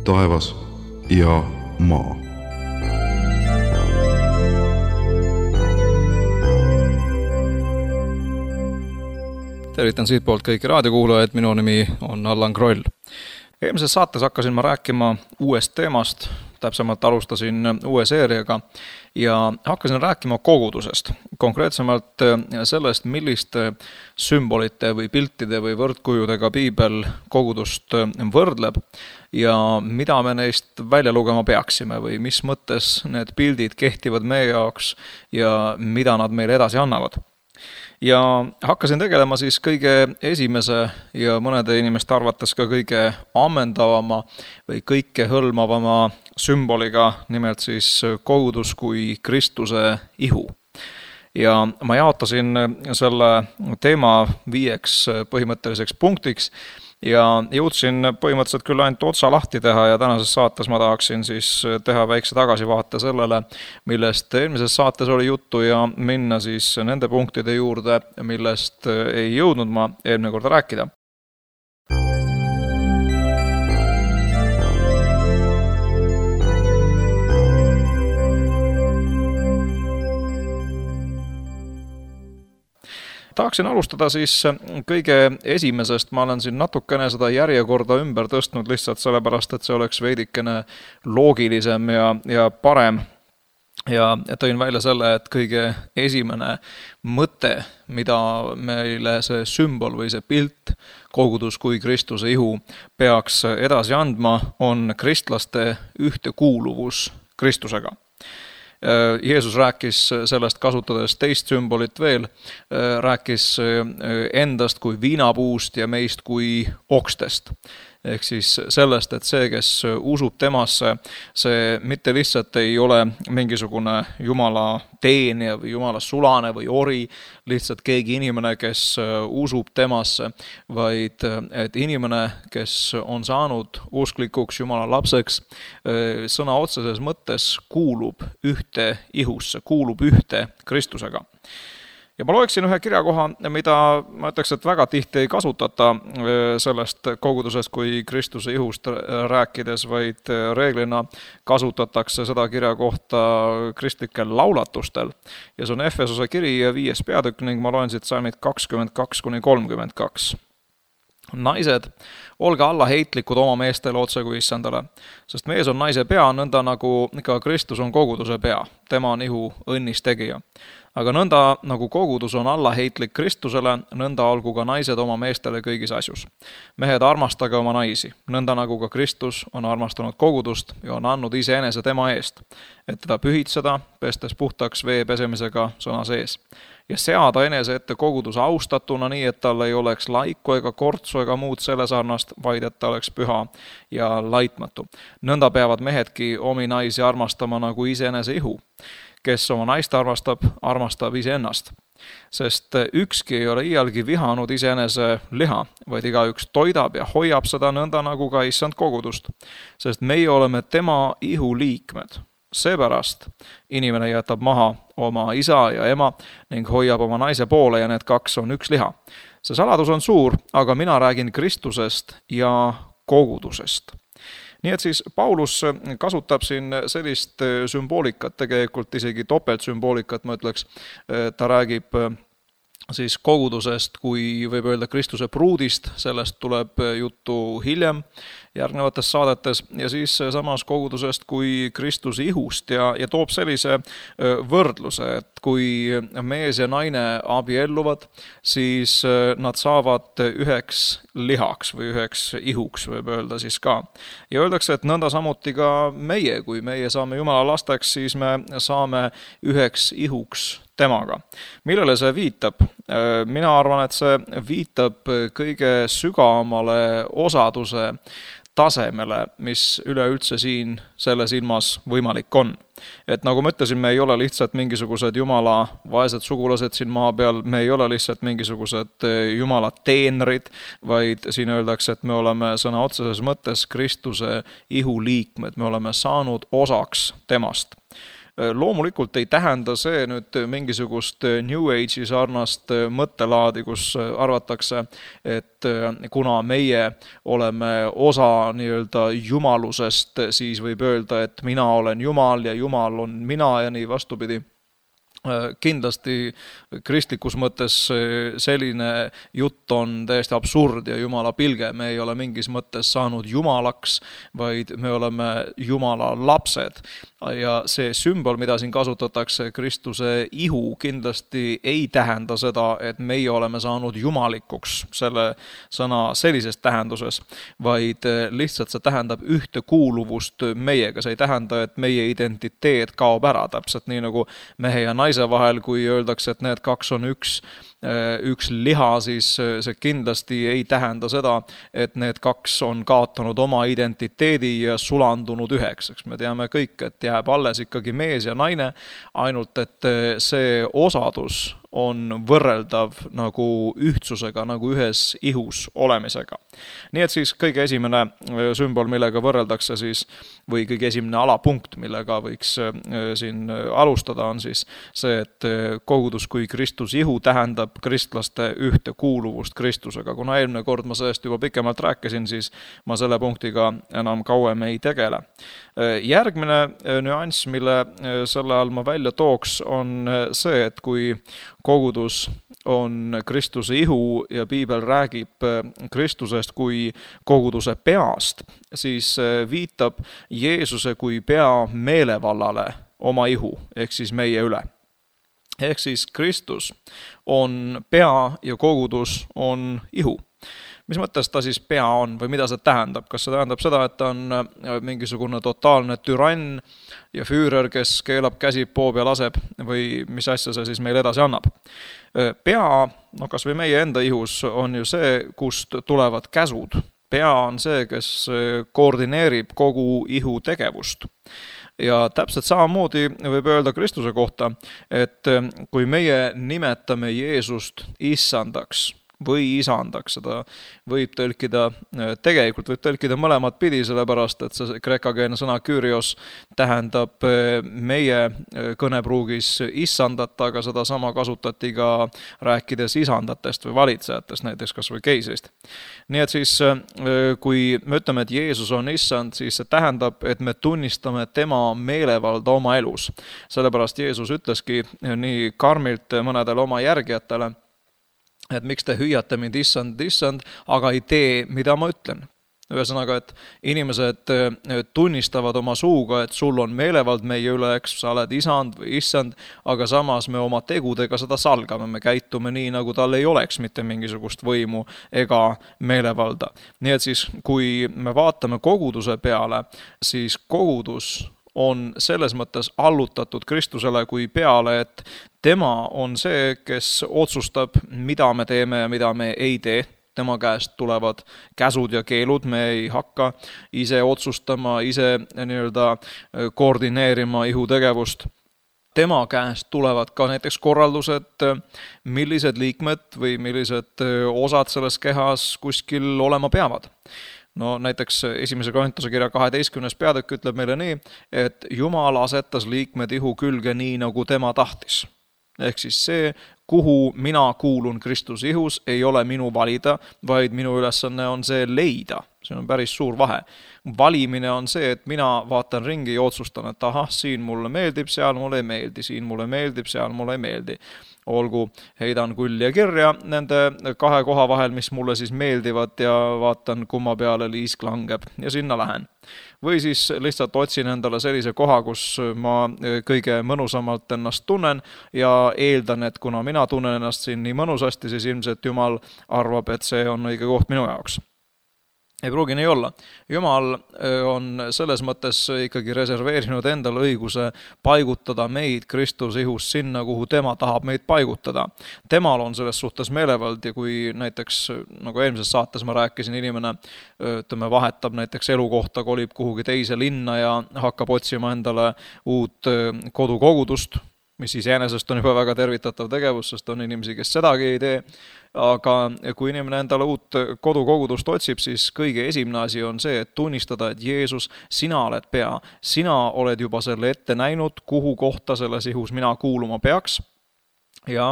taevas ja maa. Tervitan siitpoolt kõiki raadiokuulajaid, minu nimi on Allan Kroll. Eelmises saates hakkasin ma rääkima uuest teemast, täpsemalt alustasin uue seeriaga ja hakkasin rääkima kogudusest. Konkreetsemalt sellest, milliste sümbolite või piltide või võrdkujudega piibel kogudust võrdleb ja mida me neist välja lugema peaksime või mis mõttes need pildid kehtivad meie jaoks ja mida nad meile edasi annavad. Ja hakkasin tegelema siis kõige esimese ja mõnede inimeste arvates ka kõige ammendavama või kõike hõlmavama sümboliga, nimelt siis kogudus kui Kristuse ihu. Ja ma jaotasin selle teema 5 põhimõtteliseks punktiks ja jõudsin põhimõtteliselt küll ainult otsa lahti teha ja tänases saates ma tahaksin siis teha väikse tagasivaate sellele, millest eelmises saates oli juttu ja minna siis nende punktide juurde, millest ei jõudnud ma eelmine kord rääkida. Tahaksin alustada siis kõige esimesest, ma olen siin natukene seda järjekorda ümber tõstnud lihtsalt sellepärast, et see oleks veidikene loogilisem ja parem. Ja tõin välja selle, et kõige esimene mõte, mida meile see sümbol või see pilt, kogudus kui Kristuse ihu, peaks edasi andma, on kristlaste ühtekuuluvus Kristusega. Jeesus rääkis sellest kasutades teist sümbolit veel, rääkis endast kui viinapuust ja meist kui okstest. Ehk siis sellest, et see, kes usub temasse, see mitte lihtsalt ei ole mingisugune Jumala teenija või Jumala sulane või ori, lihtsalt keegi inimene, kes usub temasse, vaid et inimene, kes on saanud usklikuks Jumala lapseks, sõna otseses mõttes kuulub ühte ihusse, kuulub ühte Kristusega. Ja ma loeksin ühe kirjakoha, mida ma ütleks, et väga tihti ei kasutata sellest kogudusest kui Kristuse ihust rääkides, vaid reeglina kasutatakse seda kirjakohta kristlikel laulatustel. Ja see on Efesose kiri 5. peatükk ning ma loen siit salmid 22-32. Naised, olge allaheitlikud oma meestele otse kui issandale, sest mees on naise pea, nõnda nagu ka Kristus on koguduse pea. Tema on ihu õnnis tegija. Aga nõnda nagu kogudus on allaheitlik Kristusele, nõnda olgu ka naised oma meestele kõigis asjus. Mehed, armastage oma naisi, nõnda nagu ka Kristus on armastanud kogudust ja on andnud iseenese tema eest, et teda pühitseda, pestes puhtaks vee pesemisega sõna sees. Ja seada enese ette koguduse austatuna nii, et tal ei oleks laiku ega kortsu ega muud selle sarnast, vaid et ta oleks püha ja laitmatu. Nõnda peavad mehedki omi naisi armastama nagu iseenese ihu. Kes oma naist armastab iseennast. Sest ükski ei ole iialgi vihanud iseenese liha, vaid igaüks toidab ja hoiab seda nõnda nagu ka issand kogudust. Sest meie oleme tema ihu liikmed. Seepärast inimene jätab maha oma isa ja ema ning hoiab oma naise poole ja need 2 on üks liha. See saladus on suur, aga mina räägin Kristusest ja kogudusest. Nii et siis Paulus kasutab siin sellist sümboolikat, tegelikult isegi topeltsümboolikat, ma ütleks, ta räägib siis kogudusest, kui võib öelda Kristuse pruudist, sellest tuleb juttu hiljem järgnevates saadetes ja siis samas kogudusest kui Kristuse ihust ja toob sellise võrdluse, et kui mees ja naine abielluvad, siis nad saavad üheks lihaks või üheks ihuks, võib öelda siis ka. Ja öeldakse, et nõnda samuti ka meie, kui meie saame Jumala lasteks, siis me saame üheks ihuks temaga. Millele see viitab? Mina arvan, et see viitab kõige sügavamale osaduse tasemele, mis üleüldse siin selles ilmas võimalik on. Et nagu ma ütlesin, me ei ole lihtsalt mingisugused Jumala vaesed sugulased siin maa peal, me ei ole lihtsalt mingisugused Jumala teenrid, vaid siin öeldakse, et me oleme sõna otseses mõttes Kristuse ihu liikmed, me oleme saanud osaks temast. Loomulikult ei tähenda see nüüd mingisugust New Age'i sarnast mõttelaadi, kus arvatakse, et kuna meie oleme osa nii-öelda jumalusest, siis võib öelda, et mina olen Jumal ja Jumal on mina ja nii vastupidi. Kindlasti kristlikus mõttes selline jutt on täiesti absurd ja Jumala pilge. Me ei ole mingis mõttes saanud Jumalaks, vaid me oleme Jumala lapsed. Ja see sümbol, mida siin kasutatakse, Kristuse ihu, kindlasti ei tähenda seda, et meie oleme saanud jumalikuks selle sõna sellises tähenduses, vaid lihtsalt see tähendab ühtekuuluvust meiega. See ei tähenda, et meie identiteet kaob ära, täpselt nii nagu mehe ja naise vahel, kui öeldakse, et need kaks on üks liha, siis see kindlasti ei tähenda seda, et need kaks on kaotanud oma identiteedi ja sulandunud üheks. Me teame kõik, et jääb alles ikkagi mees ja naine, ainult et see osadus on võrreldav nagu ühtsusega, nagu ühes ihus olemisega. Nii et siis kõige esimene sümbol, millega võrreldakse siis, või kõige esimene alapunkt, millega võiks siin alustada, on siis see, et kogudus kui Kristus ihu tähendab kristlaste ühtekuuluvust Kristusega. Kuna eelmine kord ma sellest juba pikemalt rääkisin, siis ma selle punktiga enam kauem ei tegele. Järgmine nüanss, mille selle all ma välja tooks, on see, et kui kogudus on Kristuse ihu ja piibel räägib Kristusest kui koguduse peast, siis viitab Jeesuse kui pea meelevallale oma ihu, ehk siis meie üle. Ehk siis Kristus on pea ja kogudus on ihu. Mis mõttes ta siis pea on või mida see tähendab? Kas see tähendab seda, et ta on mingisugune totaalne türann ja füürer, kes keelab käsi poob ja laseb või mis asja see siis meil edasi annab? Pea, kas või meie enda ihus on ju see, kust tulevad käsud. Pea on see, kes koordineerib kogu ihu tegevust. Ja täpselt samamoodi võib öelda Kristuse kohta, et kui meie nimetame Jeesust issandaks või isandaks, seda võib tõlkida, tegelikult võib tõlkida mõlemat pidi, sellepärast et see kreekakeelne sõna Kyrios tähendab meie kõnepruugis issandat, aga seda sama kasutati ka rääkides isandatest või valitsejatest, näiteks kas või keisrist. Nii et siis, kui me ütleme, et Jeesus on issand, siis see tähendab, et me tunnistame tema meelevalda oma elus. Sellepärast Jeesus ütleski nii karmilt mõnedele oma järgijatele, et miks te hüüate mind issand, aga ei tee, mida ma ütlen. Ühesõnaga, et inimesed tunnistavad oma suuga, et sul on meelevald meie üle, eks sa oled isand või issand, aga samas me oma tegudega seda salgame, me käitume nii, nagu tal ei oleks mitte mingisugust võimu ega meelevalda. Nii et siis, kui me vaatame koguduse peale, siis kogudus on selles mõttes allutatud Kristusele kui peale, et tema on see, kes otsustab, mida me teeme ja mida me ei tee. Tema käest tulevad käsud ja keelud, me ei hakka ise otsustama, ise nii-öelda koordineerima ihutegevust. Tema käest tulevad ka näiteks korraldused, millised liikmed või millised osad selles kehas kuskil olema peavad. No näiteks esimese Korintuse kirja 12. peatükk ütleb meile nii, et Jumal asetas liikmed ihu külge nii, nagu tema tahtis. Ehk siis see, kuhu mina kuulun Kristuse ihus, ei ole minu valida, vaid minu ülesanne on see leida. See on päris suur vahe. Valimine on see, et mina vaatan ringi ja otsustan, et ahah, siin mulle meeldib, seal mulle ei meeldi, siin mulle meeldib, seal mulle ei meeldi. Olgu, heidan kulli ja kirja nende kahe koha vahel, mis mulle siis meeldivad ja vaatan, kumma peale liisk langeb ja sinna lähen. Või siis lihtsalt otsin endale sellise koha, kus ma kõige mõnusamalt ennast tunnen ja eeldan, et kuna mina tunnen ennast siin nii mõnusasti, siis ilmselt Jumal arvab, et see on õige koht minu jaoks. Ei pruugi nii olla. Jumal on selles mõttes ikkagi reserveerinud endale õiguse paigutada meid Kristuse ihus sinna, kuhu tema tahab meid paigutada. Temal on selles suhtes meelevald ja kui näiteks, nagu eelmises saates ma rääkisin, inimene vahetab näiteks elukohta, kolib kuhugi teise linna ja hakkab otsima endale uut kodukogudust, mis iseenesest on juba väga tervitatav tegevus, sest on inimesi, kes sedagi ei tee, aga kui inimene endale uut kodukogudust otsib, siis kõige esimene asi on see, et tunnistada, et Jeesus, sina oled pea, sina oled juba selle ette näinud, kuhu kohta selles ihus mina kuuluma peaks, ja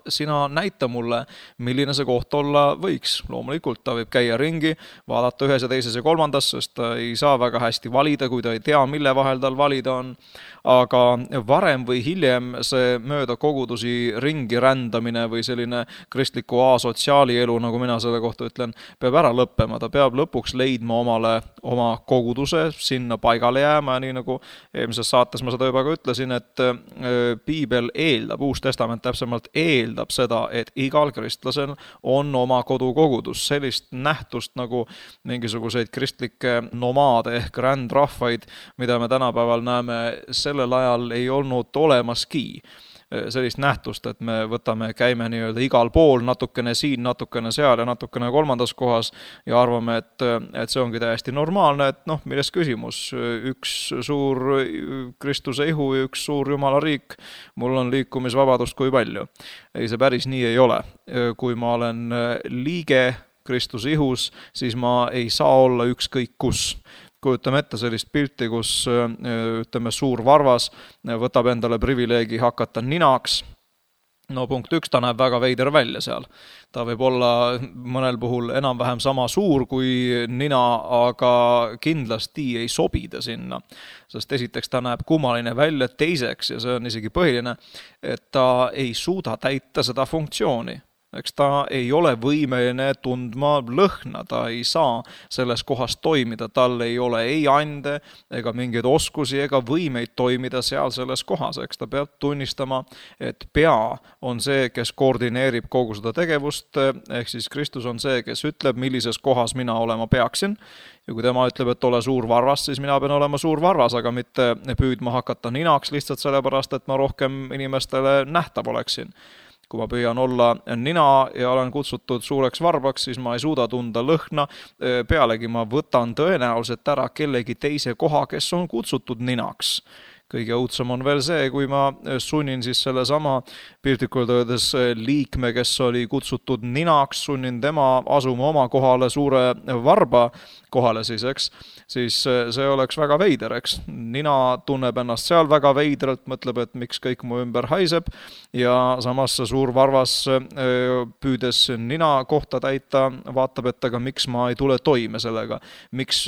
sina näita mulle, milline see koht olla võiks. Loomulikult ta võib käia ringi, vaadata ühes ja teises ja kolmandas, sest ta ei saa väga hästi valida, kui ta ei tea, mille vahel tal valida on. Aga varem või hiljem see mööda kogudusi ringi rändamine või selline kristliku asotsiaali elu, nagu mina selle kohta ütlen, peab ära lõppema. Ta peab lõpuks leidma omale oma koguduse, sinna paigale jääma ja nii nagu eelmises saates ma seda juba ka ütlesin, et piibel eeldab, Uus Testament täpsemalt eeldab seda, et igal kristlasel on oma kodukogudus. Sellist nähtust nagu mingisuguseid kristlikke nomaade ehk rändrahvaid, mida me tänapäeval näeme, sellel ajal ei olnud olemaski sellist nähtust, et me käime nii-öelda igal pool, natukene siin, natukene seal ja natukene kolmandas kohas ja arvame, et see ongi täiesti normaalne, et milles küsimus, üks suur Kristuse ihu ja üks suur Jumala riik, mul on liikumisvabadust kui palju. Ei, see päris nii ei ole. Kui ma olen liige Kristuse ihus, siis ma ei saa olla ükskõik kus. Kujutame ette sellist pilti, kus suur varvas võtab endale privileegi hakata ninaks. Punkt 1, ta näeb väga veider välja seal. Ta võib olla mõnel puhul enam-vähem sama suur kui nina, aga kindlasti ei sobi ta sinna. Sest esiteks ta näeb kummaline välja, teiseks, ja see on isegi põhiline, et ta ei suuda täita seda funktsiooni. Eks ta ei ole võimeline tundma lõhna, ta ei saa selles kohas toimida, tal ei ole ei ande ega mingeid oskusi ega võimeid toimida seal selles kohas. Eks ta peab tunnistama, et pea on see, kes koordineerib kogu seda tegevust, ehk siis Kristus on see, kes ütleb, millises kohas mina olema peaksin. Ja kui tema ütleb, et ole suur varvas, siis mina pean olema suur varvas, aga mitte püüdma hakata ninaks lihtsalt sellepärast, et ma rohkem inimestele nähtav oleksin. Kui ma püüan olla nina ja olen kutsutud suureks varbaks, siis ma ei suuda tunda lõhna. Pealegi ma võtan tõenäoliselt ära kellegi teise koha, kes on kutsutud ninaks. Kõige õudsem on veel see, kui ma sunnin siis selle sama piltlikult öeldes liikme, kes oli kutsutud ninaks, sunnin tema asuma oma kohale suure varba kohale siis see oleks väga veider, eks. Nina tunneb ennast seal väga veidralt, mõtleb, et miks kõik mu ümber haiseb ja samas suur varvas püüdes nina kohta täita, vaatab, et aga miks ma ei tule toime sellega, miks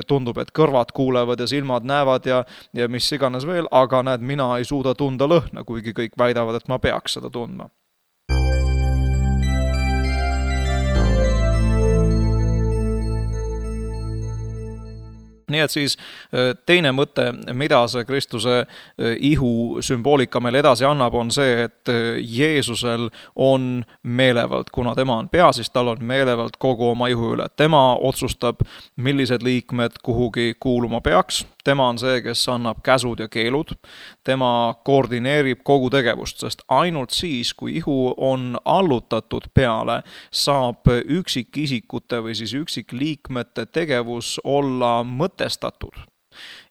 tundub, et kõrvad kuulevad ja silmad näevad ja mis iganes veel, aga näed, mina ei suuda tunda lõhna, kuigi kõik väidavad, et ma peaks seda tundma. Nii et siis teine mõte, mida see Kristuse ihu sümboolika meil edasi annab, on see, et Jeesusel on meelevald, kuna tema on pea, siis tal on meelevald kogu oma ihu üle. Tema otsustab, millised liikmed kuhugi kuuluma peaks. Tema on see, kes annab käsud ja keelud. Tema koordineerib kogu tegevust, sest ainult siis, kui ihu on allutatud peale, saab üksikisikute või siis üksikliikmete tegevus olla mõtestatud.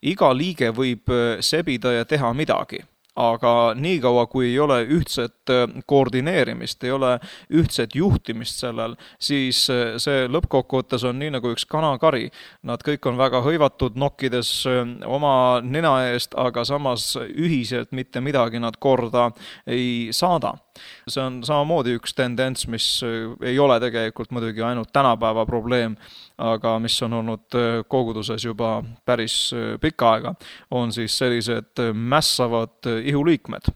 Iga liige võib sebida ja teha midagi. Aga niikaua, kui ei ole ühtset koordineerimist, ei ole ühtset juhtimist sellel, siis see lõppkokkuvõttes on nii nagu üks kanakari. Nad kõik on väga hõivatud nokkides oma nina eest, aga samas ühiselt mitte midagi nad korda ei saada. See on samamoodi üks tendents, mis ei ole tegelikult muidugi ainult tänapäeva probleem, aga mis on olnud koguduses juba päris pikka aega, on siis sellised mässavad ihuliikmed.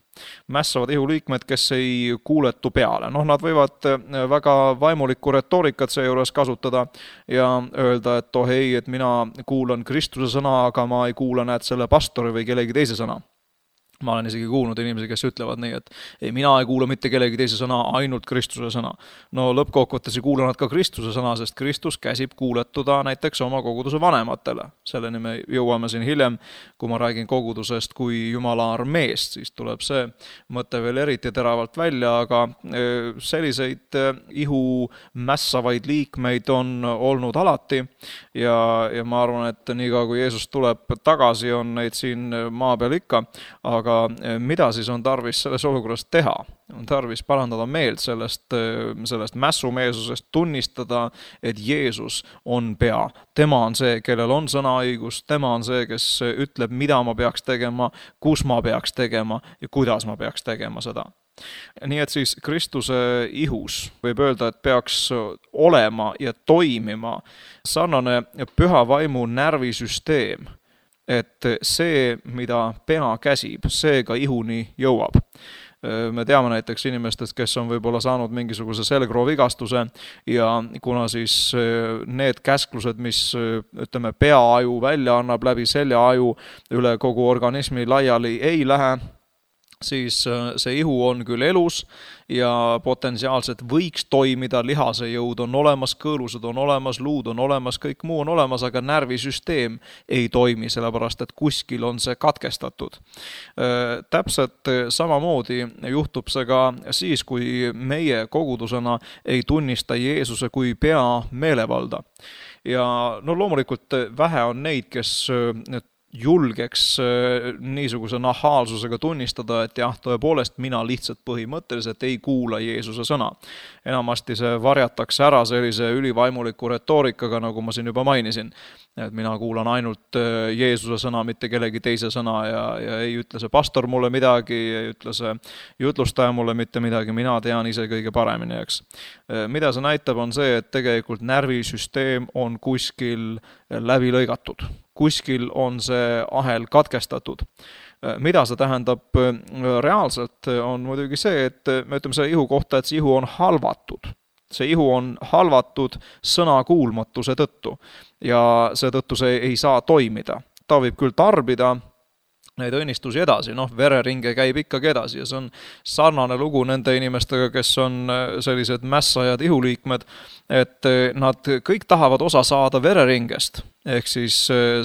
Mässavad ihuliikmed, kes ei kuuletu peale. Nad võivad väga vaimulikku retoorikat seejuures kasutada ja öelda, et ei, et mina kuulan Kristuse sõna, aga ma ei kuula selle pastori või kellegi teise sõna. Ma olen isegi kuulnud inimesi, kes ütlevad nii, et ei, mina ei kuula mitte kellegi teise sõna, ainult Kristuse sõna. Lõppkokkuvõttes ei kuula nad ka Kristuse sõna, sest Kristus käsib kuuletuda näiteks oma koguduse vanematele. Selleni me jõuame siin hiljem, kui ma räägin kogudusest kui Jumala armeest, siis tuleb see mõte veel eriti teravalt välja, aga selliseid ihu mässavaid liikmeid on olnud alati ja ma arvan, et niikaua kui Jeesus tuleb tagasi, on neid siin maa peal ikka, aga aga mida siis on tarvis selles olukorras teha? On tarvis parandada meelt sellest mässumeelsusest, tunnistada, et Jeesus on pea. Tema on see, kellel on sõnaõigus, tema on see, kes ütleb, mida ma peaks tegema, kus ma peaks tegema ja kuidas ma peaks tegema seda. Nii et siis Kristuse ihus võib öelda, et peaks olema ja toimima sarnane püha vaimu närvisüsteem, et see, mida pea käsib, see ka ihuni jõuab. Me teame näiteks inimestest, kes on võib-olla saanud mingisuguse selgroovigastuse ja kuna siis need käsklused, mis ütleme peaaju välja annab läbi seljaaju üle kogu organismi laiali ei lähe, siis see ihu on küll elus ja potentsiaalselt võiks toimida, lihase jõud on olemas, kõõlused on olemas, luud on olemas, kõik muu on olemas, aga närvisüsteem ei toimi, sellepärast et kuskil on see katkestatud. Täpselt samamoodi juhtub see ka siis, kui meie kogudusena ei tunnista Jeesuse kui pea meelevalda. Ja loomulikult vähe on neid, kes julgeks niisuguse nahaalsusega tunnistada, et jah, tõepoolest mina lihtsalt põhimõtteliselt ei kuula Jeesuse sõna. Enamasti see varjatakse ära sellise ülivaimuliku retoorikaga, nagu ma siin juba mainisin. Et mina kuulan ainult Jeesuse sõna, mitte kellegi teise sõna ja ei ütle see pastor mulle midagi, ei ütle see jutlustaja mulle mitte midagi, mina tean ise kõige paremini, eks. Mida see näitab on see, et tegelikult närvisüsteem on kuskil läbi lõigatud. Kuskil on see ahel katkestatud. Mida see tähendab reaalselt on muidugi see, et me ütleme selle ihu kohta, et see ihu on halvatud. See ihu on halvatud sõnakuulmatuse tõttu ja seetõttu see ei saa toimida. Ta võib küll tarbida neid õnnistusi edasi, vereringe käib ikkagi edasi ja see on sarnane lugu nende inimestega, kes on sellised mässajad ihuliikmed, et nad kõik tahavad osa saada vereringest, ehk siis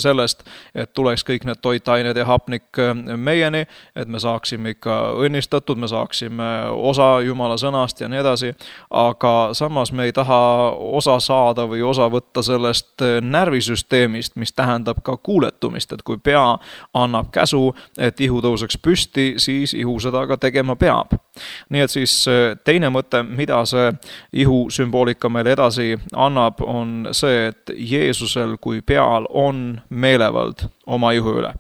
sellest, et tuleks kõik need toitained ja hapnik meieni, et me saaksime ikka õnnistatud, me saaksime osa Jumala sõnast ja nii edasi, aga samas me ei taha osa saada või osa võtta sellest närvisüsteemist, mis tähendab ka kuuletumist, et kui pea annab käsu, et ihu tõuseks püsti, siis ihu seda ka tegema peab. Nii et siis teine mõte, mida see ihu sümboolika meile edasi annab, on see, et Jeesusel kui peal on meelevald oma ihu üle.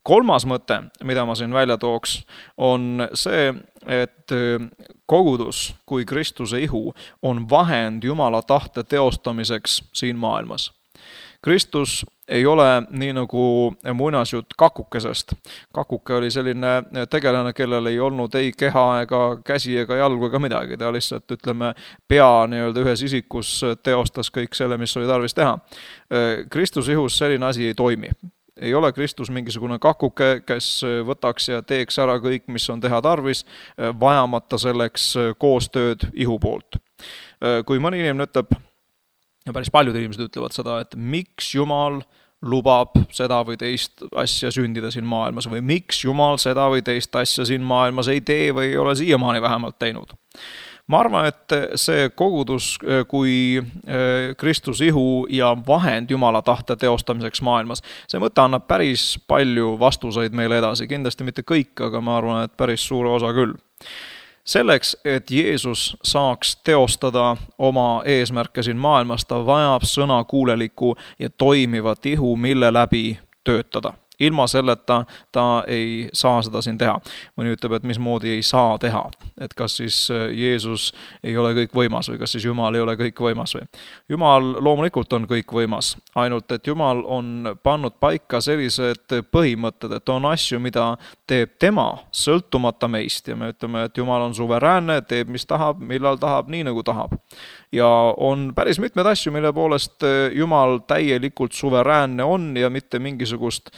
Kolmas mõte, mida ma siin välja tooks, on see, et kogudus kui Kristuse ihu on vahend Jumala tahte teostamiseks siin maailmas. Kristus ei ole nii nagu muinasjutt kakukesest. Kakuke oli selline tegelane, kellel ei olnud ei keha ega käsi ega jalgu ega midagi. Ta lihtsalt, pea ühes isikus teostas kõik selle, mis oli tarvis teha. Kristuse ihus selline asi ei toimi. Ei ole Kristus mingisugune kakuke, kes võtaks ja teeks ära kõik, mis on teha tarvis, vajamata selleks koostööd ihu poolt. Kui mõni inimene ütleb, ja päris paljud inimesed ütlevad seda, et miks Jumal lubab seda või teist asja sündida siin maailmas või miks Jumal seda või teist asja siin maailmas ei tee või ei ole siiamaani vähemalt teinud. Ma arvan, et see kogudus kui Kristuse ihu ja vahend Jumala tahte teostamiseks maailmas, see mõte annab päris palju vastuseid meile edasi. Kindlasti mitte kõik, aga ma arvan, et päris suure osa küll. Selleks, et Jeesus saaks teostada oma eesmärke siin maailmas, ta vajab sõnakuuleliku ja toimivat ihu, mille läbi töötada. Ilma selleta ta ei saa seda siin teha. Mõni ütleb, et mismoodi ei saa teha. Et kas siis Jeesus ei ole kõik võimas või kas siis Jumal ei ole kõik võimas või. Jumal loomulikult on kõik võimas, ainult et Jumal on pannud paika sellised põhimõtted, et on asju, mida teeb tema sõltumata meist ja me ütleme, et Jumal on suveräänne, teeb mis tahab, millal tahab, nii nagu tahab. Ja on päris mitmed asju, mille poolest Jumal täielikult suveräänne on ja mitte mingisugust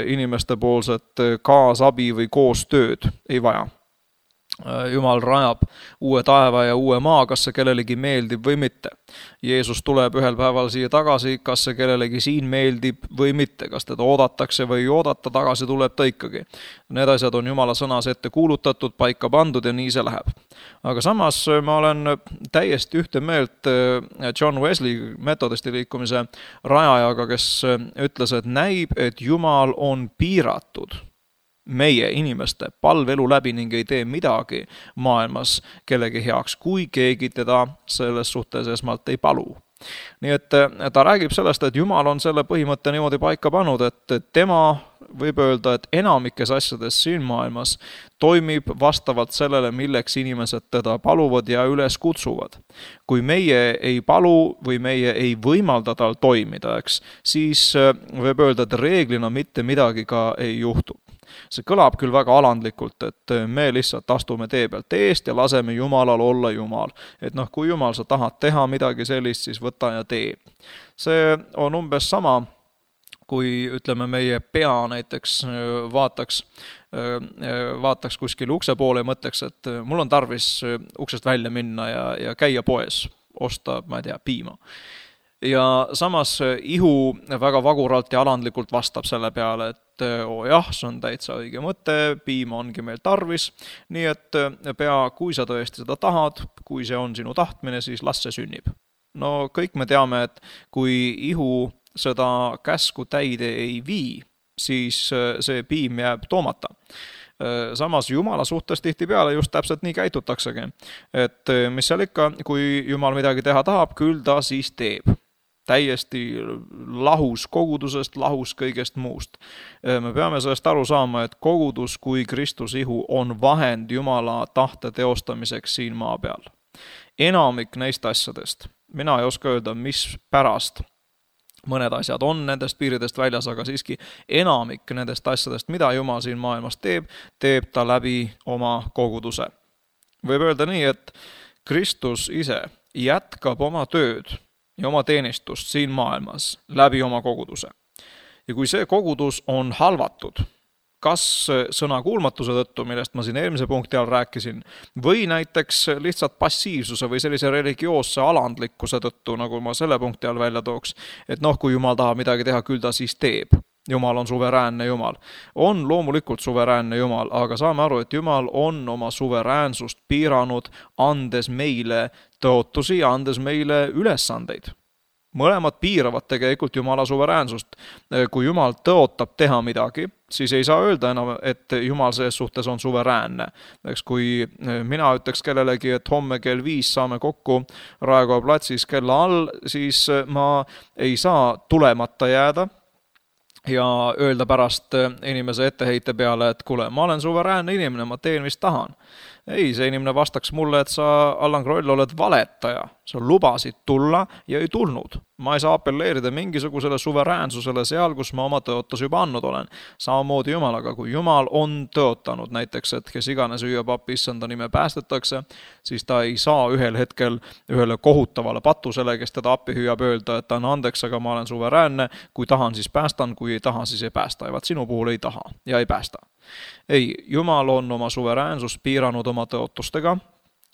inimeste poolset kaasabi või koostööd ei vaja. Jumal rajab uue taeva ja uue maa, kas see kellelegi meeldib või mitte. Jeesus tuleb ühel päeval siia tagasi, kas see kellelegi siin meeldib või mitte, kas teda oodatakse või ei oodata, tagasi tuleb ta ikkagi. Need asjad on Jumala sõnas ette kuulutatud, paika pandud ja nii see läheb. Aga samas ma olen täiesti ühte meelt John Wesley metodisti liikumise rajajaga, kes ütles, et näib, et Jumal on piiratud meie inimeste palvelu läbi ning ei tee midagi maailmas kellegi heaks, kui keegi teda selles suhtes esmalt ei palu. Nii et ta räägib sellest, et Jumal on selle põhimõtte niimoodi paika pannud, et tema võib öelda, et enamikes asjades siin maailmas toimib vastavalt sellele, milleks inimesed teda paluvad ja üles kutsuvad. Kui meie ei palu või meie ei võimalda tal toimida, siis võib öelda, et reeglina mitte midagi ka ei juhtu. See kõlab küll väga alandlikult, et me lihtsalt astume tee pealt eest ja laseme Jumalal olla Jumal. Et kui Jumal sa tahad teha midagi sellist, siis võta ja tee. See on umbes sama, kui ütleme meie pea näiteks vaataks kuskil ukse poole ja mõtleks, et mul on tarvis uksest välja minna ja käia poes, osta, ma ei tea, piima. Ja samas ihu väga vaguralt ja alandlikult vastab selle peale, et jah, see on täitsa õige mõte, piima ongi meil tarvis, nii et pea, kui sa tõesti seda tahad, kui see on sinu tahtmine, siis las see sünnib. No kõik me teame, et kui ihu seda käsku täide ei vii, siis see piim jääb toomata. Samas Jumala suhtes tihtipeale just täpselt nii käitutaksegi, et mis seal ikka, kui Jumal midagi teha tahab, küll ta siis teeb. Täiesti lahus kogudusest, lahus kõigest muust. Me peame sellest aru saama, et kogudus kui Kristus ihu on vahend Jumala tahte teostamiseks siin maa peal. Enamik neist asjadest, mina ei oska öelda, mis pärast mõned asjad on nendest piiridest väljas, aga siiski enamik nendest asjadest, mida Jumal siin maailmas teeb ta läbi oma koguduse. Võib öelda nii, et Kristus ise jätkab oma tööd ja oma teenistust siin maailmas läbi oma koguduse. Ja kui see kogudus on halvatud, kas sõna kuulmatuse tõttu, millest ma siin eelmise punkti all rääkisin, või näiteks lihtsalt passiivsuse või sellise religioosse alandlikkuse tõttu, nagu ma selle punkti all välja tooks, et kui Jumal tahab midagi teha, küll ta siis teeb. Jumal on suveräänne Jumal. On loomulikult suveräänne Jumal, aga saame aru, et Jumal on oma suveräänsust piiranud, andes meile tõotusi ja andes meile ülesandeid. Mõlemad piiravad tegelikult Jumala suveräänsust. Kui Jumal tõotab teha midagi, siis ei saa öelda enam, et Jumal selles suhtes on suveräänne. Kui mina ütleks kellelegi, et homme kell 5 saame kokku Raekoja platsis kella all, siis ma ei saa tulemata jääda ja öelda pärast inimese etteheite peale, et kuule, ma olen suveräänne inimene, ma teen, mis tahan. Ei, see inimene vastaks mulle, et sa, Allan Kroll, oled valetaja. Sa lubasid tulla ja ei tulnud. Ma ei saa apelleerida mingisugusele suveräänsusele seal, kus ma oma tõotus juba andnud olen. Samamoodi Jumalaga, kui Jumal on tõotanud näiteks, et kes iganes hüüab appi issanda nime päästetakse, siis ta ei saa ühel hetkel ühele kohutavale patusele, kes teda appi hüüab öelda, et anna andeks, aga ma olen suveräänne, kui tahan, siis päästan, kui ei taha, siis ei päästa. Ja vaat sinu puhul ei taha ja ei päästa. Ei, Jumal on oma suveräänsust piiranud oma tõotustega,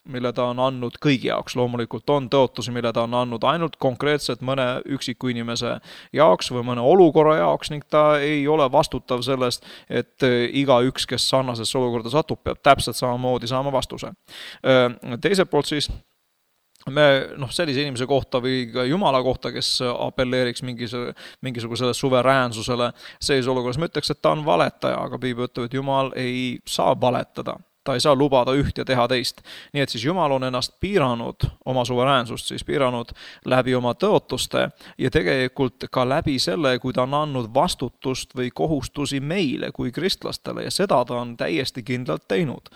mille ta on andnud kõigi jaoks. Loomulikult on tõotusi, mille ta on andnud ainult konkreetselt mõne üksiku inimese jaoks või mõne olukorra jaoks ning ta ei ole vastutav sellest, et igaüks, kes sarnasesse olukorda satub, peab täpselt samamoodi saama vastuse. Teiselt poolt siis sellise inimese kohta või ka Jumala kohta, kes apelleeriks mingisugusele suveräänsusele, selles olukorras ma ütleks, et ta on valetaja, aga Piibel ütleb, et Jumal ei saa valetada. Ta ei saa lubada üht ja teha teist. Nii et siis Jumal on ennast piiranud, oma suveräänsust siis piiranud läbi oma tõotuste ja tegelikult ka läbi selle, kui ta on andnud vastutust või kohustusi meile kui kristlastele ja seda ta on täiesti kindlalt teinud.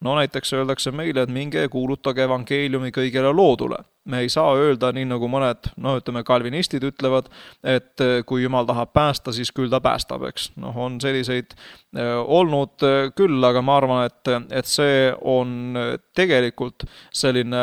No näiteks öeldakse meile, et minge kuulutage evangeeliumi kõigele loodule. Me ei saa öelda nii nagu mõned, kalvinistid ütlevad, et kui Jumal tahab päästa, siis küll ta päästab, eks. On selliseid olnud küll, aga ma arvan, et see on tegelikult selline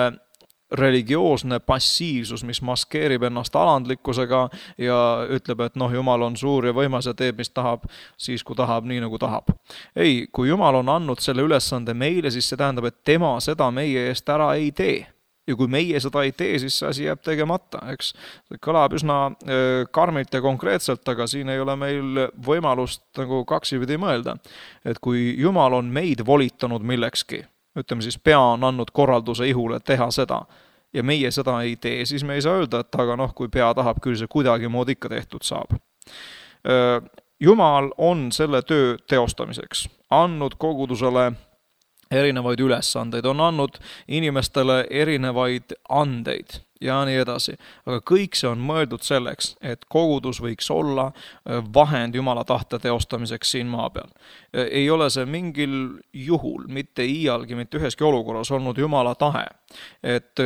religioosne passiivsus, mis maskeerib ennast alandlikkusega ja ütleb, et noh, Jumal on suur ja võimas ja teeb, mis tahab, siis kui tahab, nii nagu tahab. Ei, kui Jumal on andnud selle ülesande meile, siis see tähendab, et tema seda meie eest ära ei tee. Ja kui meie seda ei tee, siis see asi jääb tegemata, eks. See kõlab üsna karmilt ja konkreetselt, aga siin ei ole meil võimalust nagu kaksipidi mõelda. Et kui Jumal on meid volitanud millekski, ütleme siis pea on andnud korralduse ihule teha seda, ja meie seda ei tee, siis me ei saa öelda, et aga noh, kui pea tahab, küll see kuidagi mood ikka tehtud saab. Jumal on selle töö teostamiseks andnud kogudusele erinevaid ülesandeid, on andnud inimestele erinevaid andeid ja nii edasi. Aga kõik see on mõeldud selleks, et kogudus võiks olla vahend Jumala tahte teostamiseks siin maa peal. Ei ole see mingil juhul, mitte iialgi, mitte üheski olukorras olnud Jumala tahe, et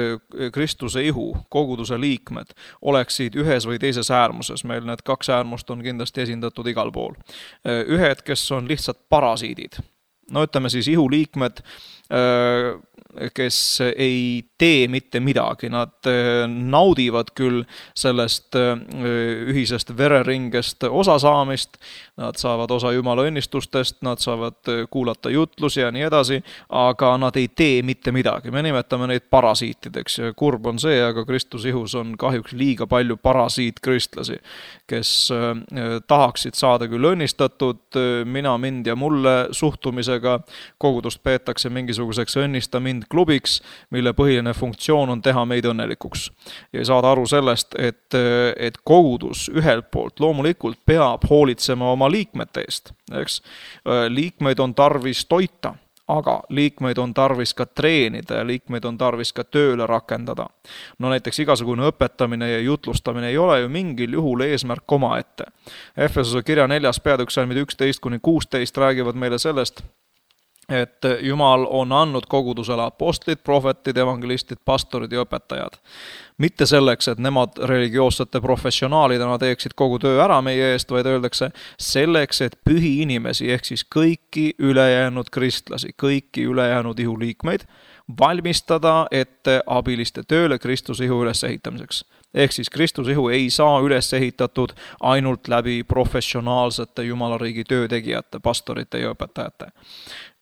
Kristuse ihu, koguduse liikmed oleksid ühes või teises äärmuses. Meil need kaks äärmust on kindlasti esindatud igal pool. Ühed, kes on lihtsalt parasiidid. No ütleme siis ihuliikmed, kes ei tee mitte midagi, nad naudivad küll sellest ühisest vereringest osa saamist, nad saavad osa Jumala õnnistustest, nad saavad kuulata jutlusi ja nii edasi, aga nad ei tee mitte midagi. Me nimetame neid parasiitideks ja kurb on see, aga Kristuse ihus on kahjuks liiga palju parasiitkristlasi, kes tahaksid saada küll õnnistatud mina, mind ja mulle suhtumisega, kogudust peetakse mingisuguseks õnnista mind klubiks, mille põhiline funktsioon on teha meid õnnelikuks. Ja saada aru sellest, et kogudus ühelt poolt loomulikult peab hoolitsema oma liikmete eest. Eks? Liikmeid on tarvis toita, aga liikmeid on tarvis ka treenida ja liikmeid on tarvis ka tööle rakendada. No näiteks igasugune õpetamine ja jutlustamine ei ole ju mingil juhul eesmärk omaette. Efesuse kirja 4. peatükk salmid 11-16 räägivad meile sellest, et Jumal on andnud kogudusele apostlid, prohvetid, evangelistid, pastorid ja õpetajad. Mitte selleks, et nemad religioossete professionaalidena teeksid kogu töö ära meie eest, vaid öeldakse selleks, et pühi inimesi ehk siis kõiki ülejäänud kristlasi, kõiki ülejäänud ihuliikmeid valmistada ette abiliste tööle Kristuse ihu ülesehitamiseks. Ehk siis Kristuse ihu ei saa üles ehitatud ainult läbi professionaalsete Jumalariigi töötegijate, pastorite ja õpetajate.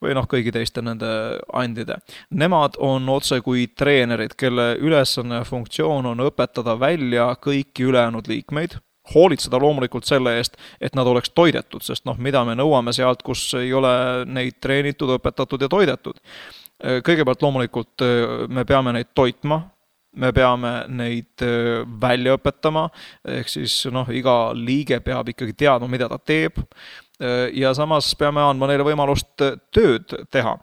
Või noh, kõigi teiste nende andide. Nemad on otse kui treenerid, kelle ülesanne ja funktsioon on õpetada välja kõiki ülejäänud liikmeid, hoolitseda loomulikult selle eest, et nad oleks toidetud, sest noh, mida me nõuame sealt, kus ei ole neid treenitud, õpetatud ja toidetud. Kõigepealt loomulikult me peame neid toitma, me peame neid välja õpetama, ehk siis noh, iga liige peab ikkagi teadma, mida ta teeb, ja samas peame andma neile võimalust tööd teha.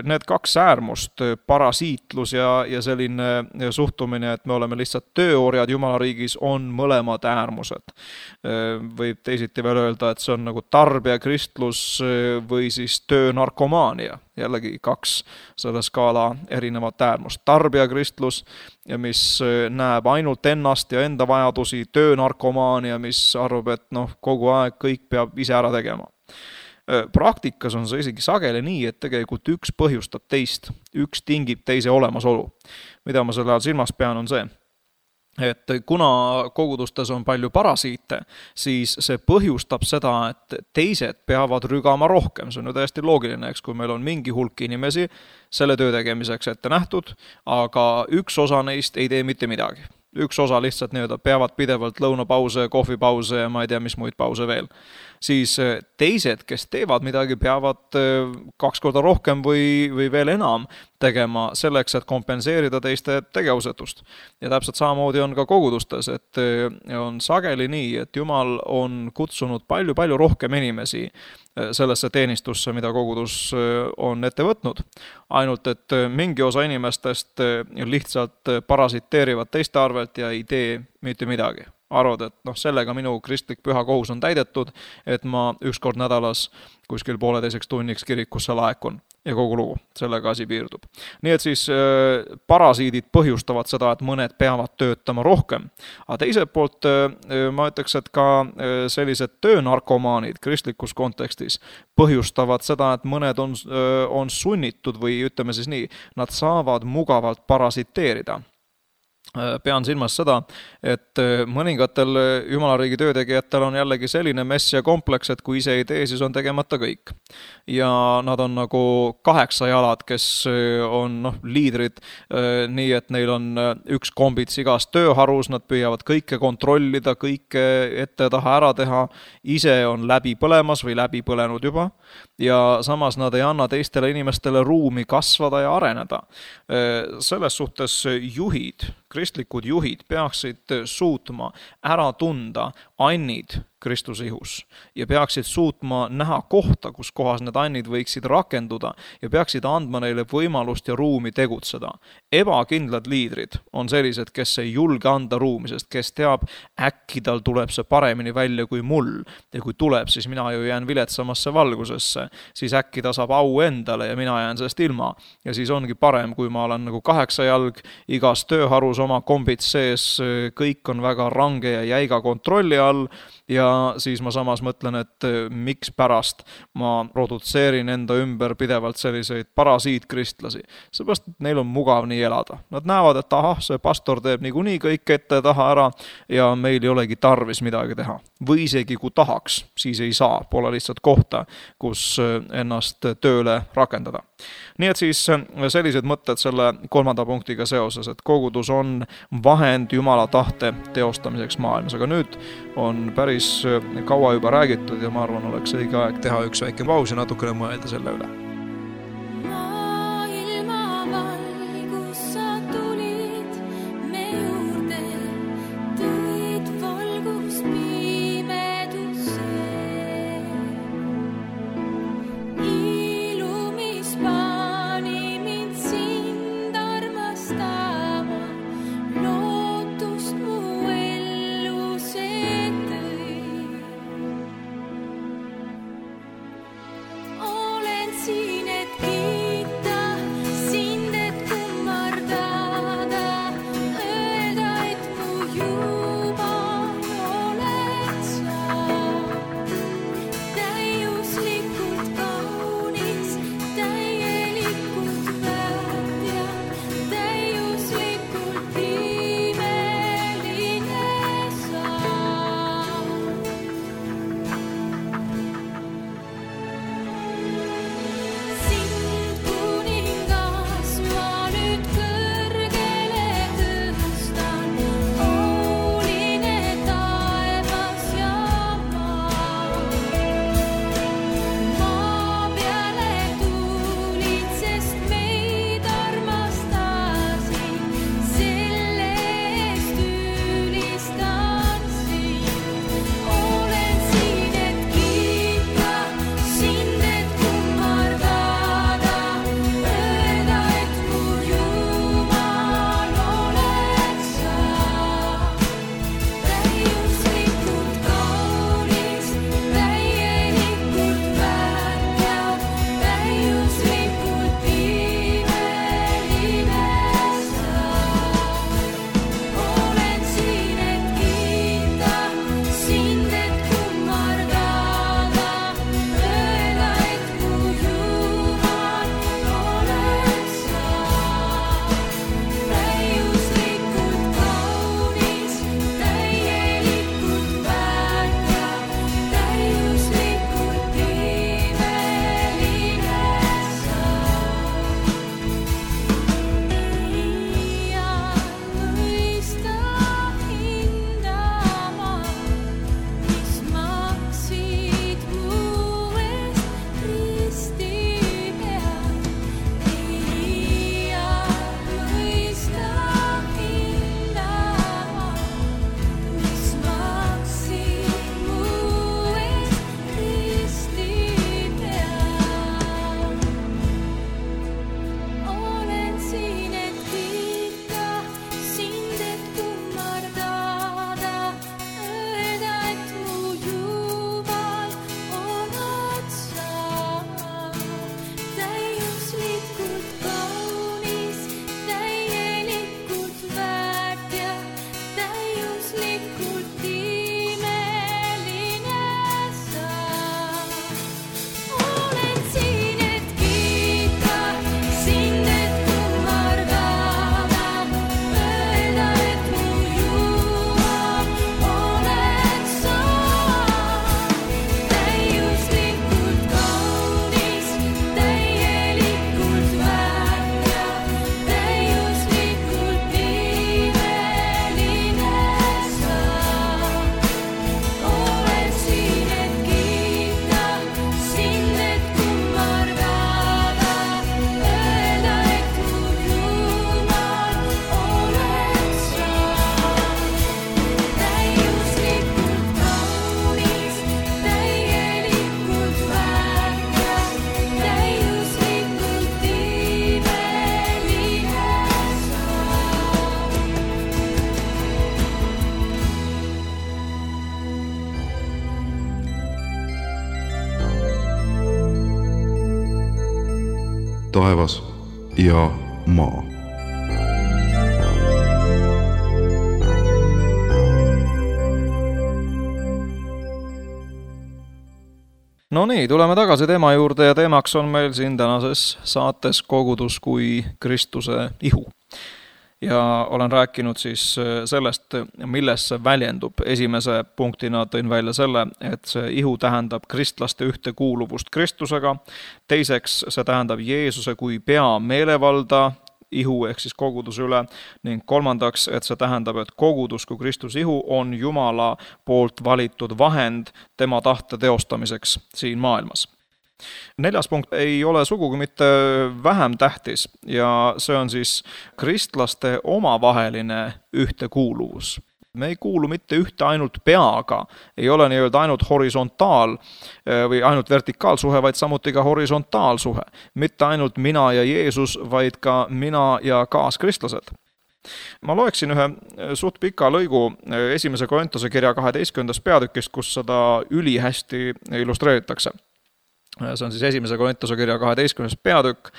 Need kaks äärmust, parasiitlus ja selline suhtumine, et me oleme lihtsalt tööorjad Jumalariigis, on mõlemad äärmused. Võib teisiti veel öelda, et see on nagu tarbijakristlus või siis töönarkomaania. Jällegi kaks selle skaala erinevat äärmust. Tarbijakristlus, mis näeb ainult ennast ja enda vajadusi, töönarkomaania, mis arvab, et noh, kogu aeg kõik peab ise ära tegema. Praktikas on see isegi sageli nii, et tegelikult üks põhjustab teist, üks tingib teise olemasolu. Mida ma selle all silmas pean on see, et kuna kogudustes on palju parasiite, siis see põhjustab seda, et teised peavad rügama rohkem. See on ju täiesti loogiline, eks, kui meil on mingi hulk inimesi selle töö tegemiseks ette nähtud, aga üks osa neist ei tee mitte midagi. Üks osa lihtsalt peavad pidevalt lõunapause, kohvipause ja ma ei tea, mis muid pause veel. Siis teised, kes teevad midagi, peavad 2 korda rohkem või veel enam tegema selleks, et kompenseerida teiste tegevusetust. Ja täpselt samamoodi on ka kogudustes, et on sageli nii, et Jumal on kutsunud palju rohkem inimesi sellesse teenistusse, mida kogudus on ette võtnud. Ainult, et mingi osa inimestest lihtsalt parasiteerivad teiste arvelt ja ei tee mitte midagi. Arvad, et noh, sellega minu kristlik püha kohus on täidetud, et ma 1 kord nädalas kuskil 1,5 tunniks kirikusse laekun. ja kogu lugu, sellega asi piirdub. Nii et siis parasiidid põhjustavad seda, et mõned peavad töötama rohkem. Aga teiselt poolt ma ütleks, et ka sellised töönarkomaanid kristlikus kontekstis põhjustavad seda, et mõned on sunnitud või ütleme siis nii, nad saavad mugavalt parasiteerida. Pean silmas seda, et mõningatel jumalariigi töötegijatel on jällegi selline messia kompleks, et kui ise ei tee, siis on tegemata kõik. Ja nad on nagu 8 jalad, kes on liidrid, nii et neil on üks kombits igas tööharus, nad püüavad kõike kontrollida, kõike ette taha ära teha, ise on läbi põlemas või läbi põlenud juba, ja samas nad ei anna teistele inimestele ruumi kasvada ja areneda. Selles suhtes juhid, kristlikud juhid peaksid suutma ära tunda annid Kristuse ihus ja peaksid suutma näha kohta, kus kohas need annid võiksid rakenduda ja peaksid andma neile võimalust ja ruumi tegutseda. Ebakindlad liidrid on sellised, kes ei julge anda ruumi, sest kes teab, äkki tal tuleb see paremini välja kui mul ja kui tuleb, siis mina ju jään viletsamasse valgusesse, siis äkki ta saab au endale ja mina jään sellest ilma. Ja siis ongi parem, kui ma olen nagu 8 jalg igas tööharus oma kombits sees, kõik on väga range ja jäiga kontrolli all ja siis ma samas mõtlen, et miks pärast ma produtseerin enda ümber pidevalt selliseid parasiitkristlasi. Seepärast, et neil on mugav nii elada. Nad näevad, et ahah, see pastor teeb niikuinii kõik ette taha ära ja meil ei olegi tarvis midagi teha. Või isegi kui tahaks, siis ei saa, pole lihtsalt kohta, kus ennast tööle rakendada. Nii et siis sellised mõtted selle 3. punktiga seoses, et kogudus on vahend Jumala tahte teostamiseks maailmas. Aga nüüd on päris kaua juba räägitud ja ma arvan, oleks õige aeg teha üks väike paus ja natukene mõelda selle üle. See taevas ja maa. No nii, tuleme tagasi teema juurde ja teemaks on meil siin tänases saates kogudus kui Kristuse ihu. Ja olen rääkinud siis sellest, milles see väljendub. Esimese punktina tõin välja selle, et see ihu tähendab kristlaste ühtekuuluvust Kristusega. Teiseks, see tähendab Jeesuse kui pea meelevalda ihu ehk siis koguduse üle ning kolmandaks, et see tähendab, et kogudus kui Kristuse ihu on Jumala poolt valitud vahend tema tahte teostamiseks siin maailmas. Neljas punkt ei ole sugugi mitte vähem tähtis ja see on siis kristlaste omavaheline ühtekuuluvus. Me ei kuulu mitte ühte ainult peaga, ei ole nii-öelda ainult horisontaal või ainult vertikaalsuhe, vaid samuti ka horisontaalsuhe. Mitte ainult mina ja Jeesus, vaid ka mina ja kaaskristlased. Ma loeksin ühe suht pika lõigu esimese Korintuse kirja 12. peatükist, kus seda ülihästi illustreeritakse. See on siis esimese Korintuse kirja 12. peatükk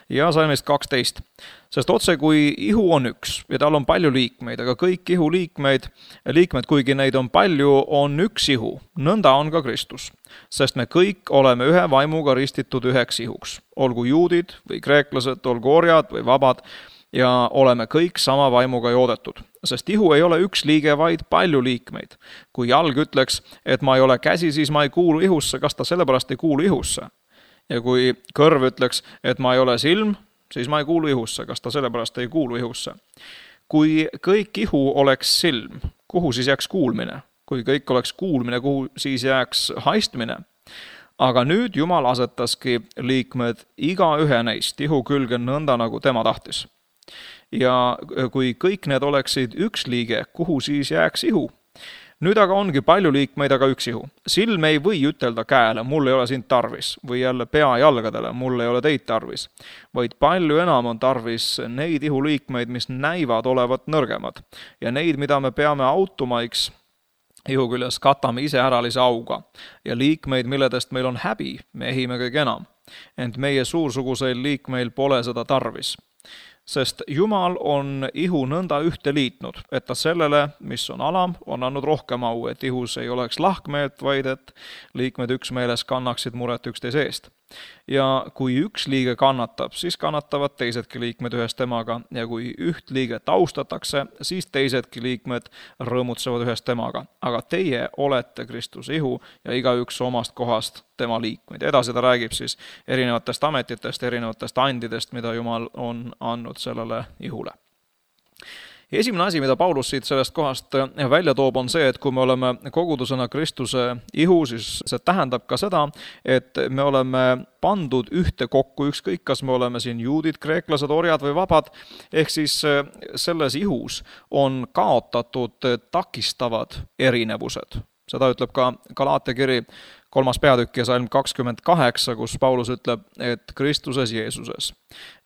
ja salmist 12. Sest otse kui ihu on üks ja tal on palju liikmeid, aga kõik ihu liikmed, kuigi neid on palju, on üks ihu. Nõnda on ka Kristus. Sest me kõik oleme ühe vaimuga ristitud üheks ihuks. Olgu juudid või kreeklased, olgu orjad või vabad ja oleme kõik sama vaimuga joodetud. Sest ihu ei ole üks liige, vaid palju liikmeid. Kui jalg ütleks, et ma ei ole käsi, siis ma ei kuulu ihusse, kas ta sellepärast ei kuulu ihusse? Ja kui kõrv ütleks, et ma ei ole silm, siis ma ei kuulu ihusse, kas ta sellepärast ei kuulu ihusse? Kui kõik ihu oleks silm, kuhu siis jääks kuulmine? Kui kõik oleks kuulmine, kuhu siis jääks haistmine? Aga nüüd Jumal asetaski liikmed iga ühe neist ihu külge nõnda, nagu tema tahtis. Ja kui kõik need oleksid üks liige, kuhu siis jääks ihu? Nüüd aga ongi palju liikmeid, aga üks ihu. Silm ei või ütelda käele, mul ei ole sind tarvis, või jälle pea jalgadele, mul ei ole teid tarvis. Vaid palju enam on tarvis neid ihu liikmeid, mis näivad olevat nõrgemad. Ja neid, mida me peame automaiks ihu küljes, katame ise äralise auga. Ja liikmeid, milledest meil on häbi, me ehime kõige enam. Ent meie suursuguseil liikmeil pole seda tarvis. Sest Jumal on ihu nõnda ühte liitnud, et ta sellele, mis on alam, on andnud rohkem au, et ihus ei oleks lahkmeelt, vaid et liikmed üksmeeles kannaksid muret üksteise eest. Ja kui üks liige kannatab, siis kannatavad teisedki liikmed ühes temaga ja kui üht liiget austatakse, siis teisedki liikmed rõõmutsevad ühes temaga. Aga teie olete Kristuse ihu ja igaüks omast kohast tema liikmeid. Edasi ta räägib siis erinevatest ametitest, erinevatest andidest, mida Jumal on andnud sellele ihule. Esimene asi, mida Paulus siit sellest kohast välja toob, on see, et kui me oleme kogudusena Kristuse ihu, siis see tähendab ka seda, et me oleme pandud ühte kokku, ükskõik kas me oleme siin juudid, kreeklased, orjad või vabad, ehk siis selles ihus on kaotatud takistavad erinevused. Seda ütleb ka Galaatia kiri 3. peatükk ja salm 28, kus Paulus ütleb, et Kristuses Jeesuses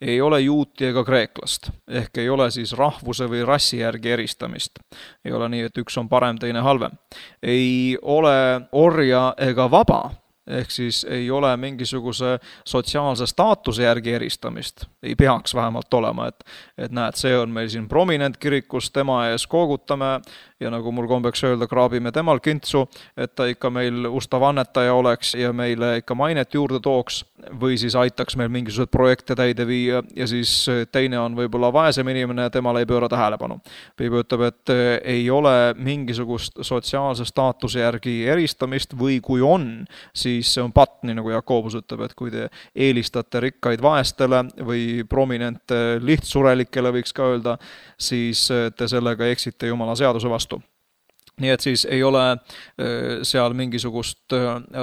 ei ole juuti ega kreeklast, ehk ei ole siis rahvuse või rassi järgi eristamist. Ei ole nii, et üks on parem, teine halvem. Ei ole orja ega vaba, ehk siis ei ole mingisuguse sotsiaalse staatuse järgi eristamist. Ei peaks vähemalt olema, et näed, see on meil siin prominent kirikus, tema ees koogutame ja nagu mul kombeks öelda, kraabime temal kintsu, et ta ikka meil ustav annetaja oleks ja meile ikka mainet juurde tooks või siis aitaks meil mingisugused projekte täide viia ja siis teine on võib-olla vaesem inimene ja temale ei pööra tähelepanu. Piibel ütleb, et ei ole mingisugust sotsiaalse staatuse järgi eristamist või kui on, siis see on patt, nii nagu Jakobus ütleb, et kui te eelistate rikkaid vaestele või prominente lihtsurelikele, võiks ka öelda, siis te sellega eksite Jumala seaduse vastu. Nii et siis ei ole seal mingisugust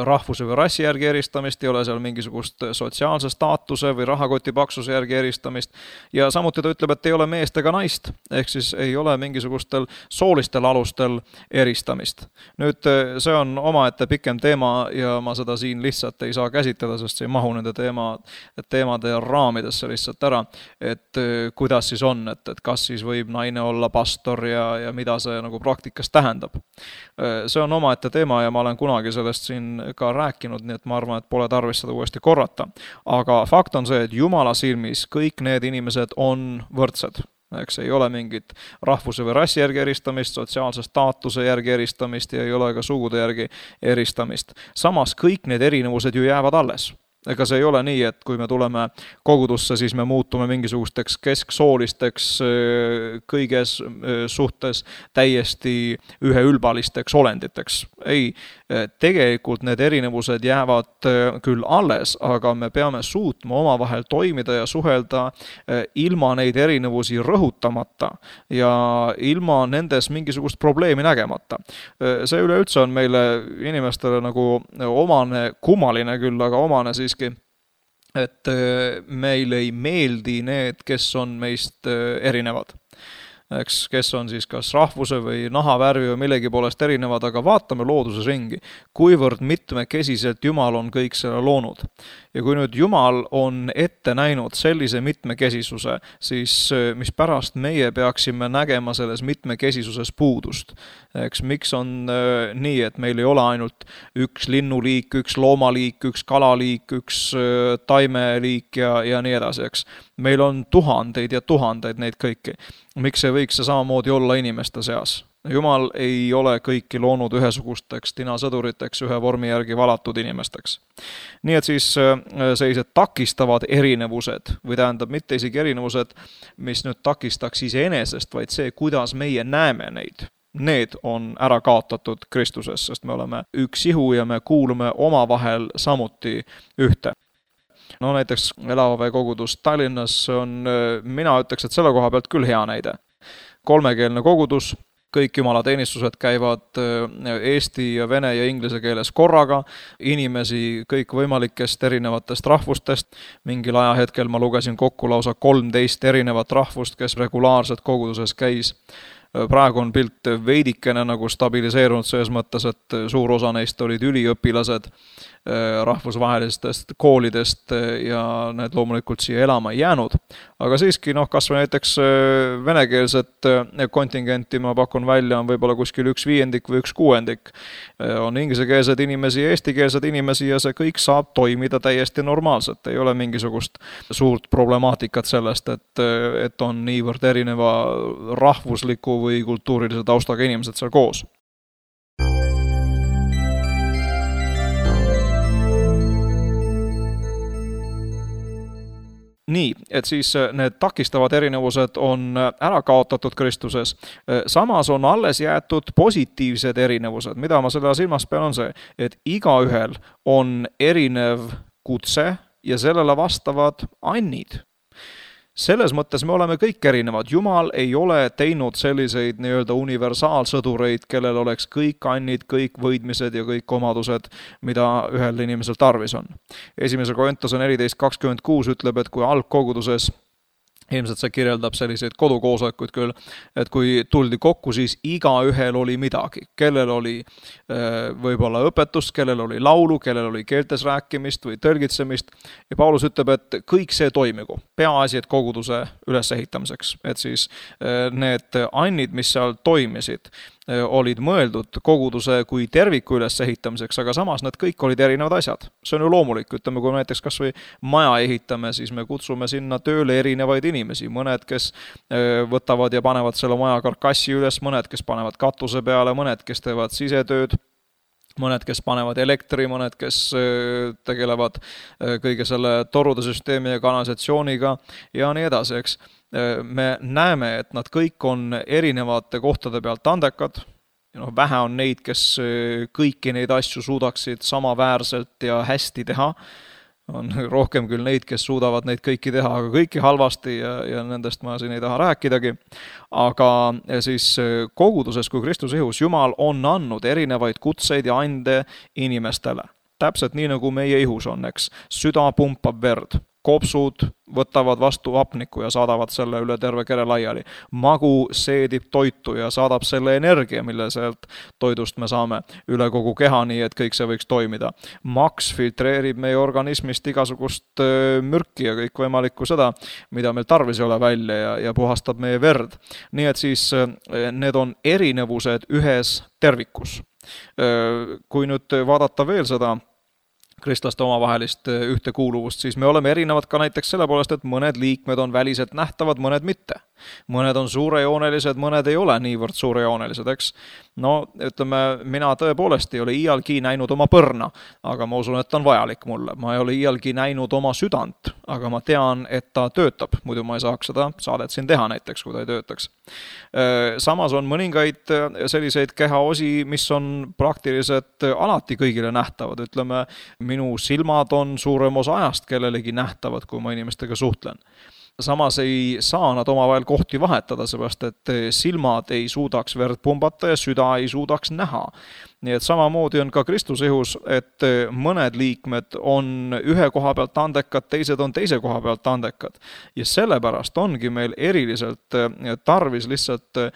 rahvuse või rassi järgi eristamist, ei ole seal mingisugust sotsiaalse staatuse või rahakoti paksuse järgi eristamist ja samuti ta ütleb, et ei ole meest ega naist, ehk siis ei ole mingisugustel soolistel alustel eristamist. Nüüd see on omaette pikem teema ja ma seda siin lihtsalt ei saa käsitleda, sest see ei mahu nende teemade raamidesse lihtsalt ära, et kuidas siis on, et kas siis võib naine olla pastor ja mida see nagu praktikas tähendab. tähendab. See on omaette teema ja ma olen kunagi sellest siin ka rääkinud, nii et ma arvan, et pole tarvis seda uuesti korrata. Aga fakt on see, et Jumala silmis kõik need inimesed on võrdsed. Eks ei ole mingit rahvuse või rassi järgi eristamist, sotsiaalse staatuse järgi eristamist ja ei ole ka sugude järgi eristamist. Samas kõik need erinevused ju jäävad alles. Ega see ei ole nii, et kui me tuleme kogudusse, siis me muutume mingisugusteks kesksoolisteks kõiges suhtes täiesti üheülbalisteks olenditeks. Ei, tegelikult need erinevused jäävad küll alles, aga me peame suutma omavahel toimida ja suhelda ilma neid erinevusi rõhutamata ja ilma nendes mingisugust probleemi nägemata. See üleüldse on meile inimestele nagu omane, kummaline küll, aga omane siis et meile ei meeldi need, kes on meist erinevad. Eks, kes on siis kas rahvuse või nahavärvi või millegi poolest erinevad, aga vaatame looduses ringi, kuivõrd mitmekesiselt Jumal on kõik selle loonud. Ja kui nüüd Jumal on ette näinud sellise mitmekesisuse, siis mis pärast meie peaksime nägema selles mitmekesisuses puudust. Eks, miks on nii, et meil ei ole ainult üks linnuliik, üks loomaliik, üks kalaliik, üks taimeliik ja nii edasi, eks. Meil on tuhandeid ja tuhandeid neid kõiki. Miks see võiks see samamoodi olla inimeste seas? Jumal ei ole kõiki loonud ühesugusteks tinasõduriteks, ühe vormi järgi valatud inimesteks. Nii et siis sellised takistavad erinevused, või tähendab mitte isegi erinevused, mis nüüd takistaks iseenesest, vaid see, kuidas meie näeme neid. Need on ära kaotatud Kristuses, sest me oleme üks ihu ja me kuulume omavahel samuti ühte. No näiteks Elavave kogudus Tallinnas on, mina ütleks, et selle koha pealt küll hea näide. 3-keelne kogudus, kõik jumalateenistused käivad eesti ja vene ja inglise keeles korraga, inimesi kõik võimalikest erinevatest rahvustest. Mingil ajahetkel ma lugesin kokku lausa 13 erinevat rahvust, kes regulaarselt koguduses käis. Praegu on pilt veidikene nagu stabiliseerunud selles mõttes, et suur osa neist olid üliõpilased rahvusvahelistest koolidest ja need loomulikult siia elama ei jäänud. Aga siiski, kas või näiteks venekeelset kontingenti ma pakun välja on võib-olla kuskil 1/5 või 1/6. On ingliskeelsed inimesi ja eestikeelsed inimesi ja see kõik saab toimida täiesti normaalselt. Ei ole mingisugust suurt problemaatikat sellest, et on niivõrd erineva rahvusliku või kultuurilise taustaga inimesed seal koos. Nii, et siis need takistavad erinevused on ära kaotatud Kristuses. Samas on alles jäetud positiivsed erinevused. Mida ma selle silmas pean on see, et igaühel on erinev kutse ja sellele vastavad annid. Selles mõttes me oleme kõik erinevad. Jumal ei ole teinud selliseid nii-öelda universaalsõdureid, kellel oleks kõik annid, kõik võidmised ja kõik omadused, mida ühel inimesel tarvis on. 1. Korintuse 14:26 ütleb, et kui algkoguduses, ilmselt see kirjeldab selliseid kodukoosolekuid küll, et kui tuldi kokku, siis igaühel oli midagi. Kellel oli võib-olla õpetust, kellel oli laulu, kellel oli keeltes rääkimist või tõlgitsemist. Ja Paulus ütleb, et kõik see toimigu. Peaasi, et koguduse ülesehitamiseks. Et siis need annid, mis seal toimisid, olid mõeldud koguduse kui terviku ülesehitamiseks, aga samas need kõik olid erinevad asjad. See on ju loomulik, ütleme, kui näiteks kas või maja ehitame, siis me kutsume sinna tööle erinevaid inimesi. Mõned, kes võtavad ja panevad selle maja karkassi üles, mõned, kes panevad katuse peale, mõned, kes teevad sisetööd, mõned, kes panevad elektri, mõned, kes tegelevad kõige selle torude süsteemi ja kanalisatsiooniga ja nii edasi, eks. Me näeme, et nad kõik on erinevate kohtade pealt andekad. Vähe on neid, kes kõiki neid asju suudaksid samaväärselt ja hästi teha. On rohkem küll neid, kes suudavad neid kõiki teha, aga kõiki halvasti ja nendest ma siin ei taha rääkidagi. Aga siis koguduses kui Kristuse ihus Jumal on andnud erinevaid kutseid ja ande inimestele. Täpselt nii, nagu meie ihus on, eks. Süda pumpab verd. kopsud võtavad vastu hapniku ja saadavad selle üle terve kere laiali. Magu seedib toitu ja saadab selle energia, mille sealt toidust me saame üle kogu keha, nii et kõik see võiks toimida. Maks filtreerib meie organismist igasugust mürki ja kõik võimalikku seda, mida meil tarvis ei ole välja ja puhastab meie verd. Nii et siis need on erinevused ühes tervikus. Kui nüüd vaadata veel seda kristlaste omavahelist ühtekuuluvust, siis me oleme erinevad ka näiteks selle poolest, et mõned liikmed on väliselt nähtavad, mõned mitte. Mõned on suurejoonelised, mõned ei ole niivõrd suurejoonelised, eks. No, ütleme, mina tõepoolest ei ole iialgi näinud oma põrna, aga ma usun, et on vajalik mulle. Ma ei ole iialgi näinud oma südant, aga ma tean, et ta töötab. Muidu ma ei saaks seda saadet siin teha näiteks, kui ta ei töötaks. Samas on mõningaid selliseid kehaosi, mis on praktiliselt alati kõigile nähtavad. Ütleme, minu silmad on suurem osa ajast kellelegi nähtavad, kui ma inimestega suhtlen. Samas ei saa nad omavahel kohti vahetada, seepärast et silmad ei suudaks verd pumbata ja süda ei suudaks näha. Nii et samamoodi on ka Kristuse ihus, et mõned liikmed on ühe koha pealt andekad, teised on teise koha pealt andekad. Ja sellepärast ongi meil eriliselt tarvis lihtsalt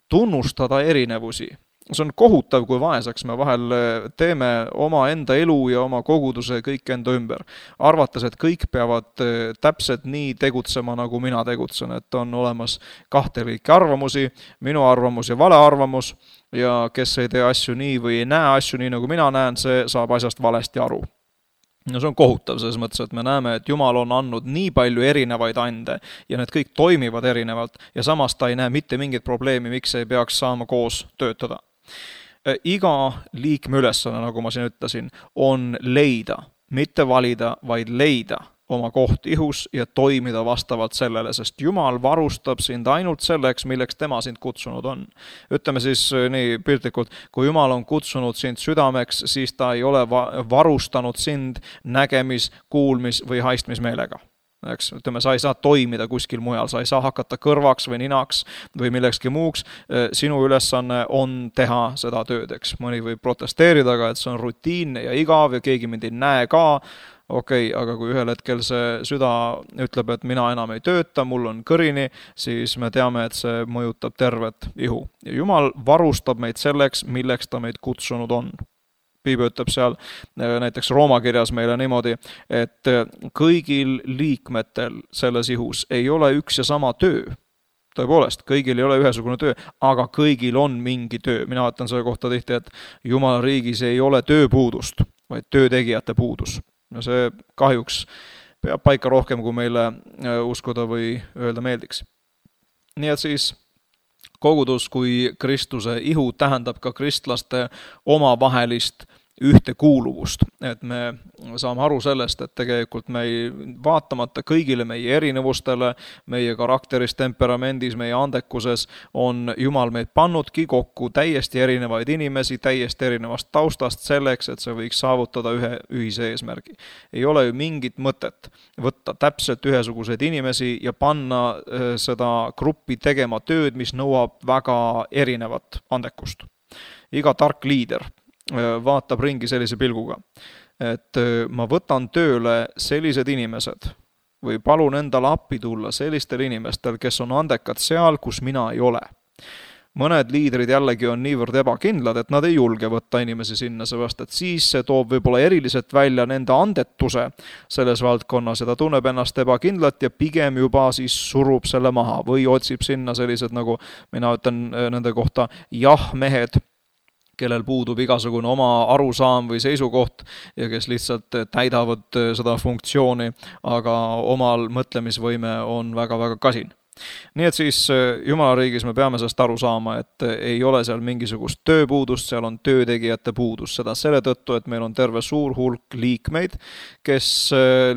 tunnustada erinevusi. See on kohutav, kui vaesaks me vahel teeme oma enda elu ja oma koguduse kõik enda ümber. Arvates, et kõik peavad täpselt nii tegutsema, nagu mina tegutsen, et on olemas kahte liiki arvamusi, minu arvamus ja vale arvamus, ja kes ei tee asju nii või ei näe asju nii, nagu mina näen, see saab asjast valesti aru. No see on kohutav selles mõttes, et me näeme, et Jumal on andnud nii palju erinevaid ande ja need kõik toimivad erinevalt ja samas ta ei näe mitte mingit probleemi, miks ei peaks saama koos töötada. Iga liikme ülesanne, nagu ma siin ütlesin, on leida, mitte valida, vaid leida oma koht ihus ja toimida vastavalt sellele, sest Jumal varustab sind ainult selleks, milleks tema sind kutsunud on. Ütleme siis nii piltlikult, kui Jumal on kutsunud sind südameks, siis ta ei ole varustanud sind nägemis, kuulmis või haistmismeelega. Ütleme, sa ei saa toimida kuskil mujal, sa ei saa hakata kõrvaks või ninaks või millekski muuks. Sinu ülesanne on teha seda tööd, eks. Mõni võib protesteerida, aga et see on rutiinne ja igav ja keegi mind ei näe ka. Okei, aga kui ühel hetkel see süda ütleb, et mina enam ei tööta, mul on kõrini, siis me teame, et see mõjutab tervet ihu. Ja Jumal varustab meid selleks, milleks ta meid kutsunud on. Piibel ütleb seal näiteks Rooma kirjas meile niimoodi, et kõigil liikmetel selles ihus ei ole üks ja sama töö. Tõepoolest, kõigil ei ole ühesugune töö, aga kõigil on mingi töö. Mina ütlen selle kohta tihti, et Jumala riigis ei ole tööpuudust, vaid töötegijate puudus. Ja see kahjuks peab paika rohkem, kui meile uskuda või öelda meeldiks. Nii et siis kogudus kui Kristuse ihu tähendab ka kristlaste omavahelist ühtekuuluvust, et me saame aru sellest, et tegelikult me ei vaatamata kõigile meie erinevustele, meie karakteris, temperamendis, meie andekuses on Jumal meid pannudki kokku täiesti erinevaid inimesi, täiesti erinevast taustast selleks, et see võiks saavutada ühe ühise eesmärgi. Ei ole ju mingit mõtet võtta täpselt ühesuguseid inimesi ja panna seda gruppi tegema tööd, mis nõuab väga erinevat andekust. Iga tark liider vaatab ringi sellise pilguga, et ma võtan tööle sellised inimesed või palun endale appi tulla sellistel inimestel, kes on andekad seal, kus mina ei ole. Mõned liidrid jällegi on niivõrd ebakindlad, et nad ei julge võtta inimesi sinna, seepärast, et siis see toob võib-olla eriliselt välja nende andetuse selles valdkonnas ja ta tunneb ennast ebakindlat ja pigem juba siis surub selle maha või otsib sinna sellised, nagu mina ütlen nende kohta, jah-mehed, kellel puudub igasugune oma arusaam või seisukoht ja kes lihtsalt täidavad seda funktsiooni, aga omal mõtlemisvõime on väga-väga kasin. Nii et siis Jumala riigis me peame sellest aru saama, et ei ole seal mingisugust tööpuudust, seal on töötegijate puudus. Seda selle tõttu, et meil on terve suur hulk liikmeid, kes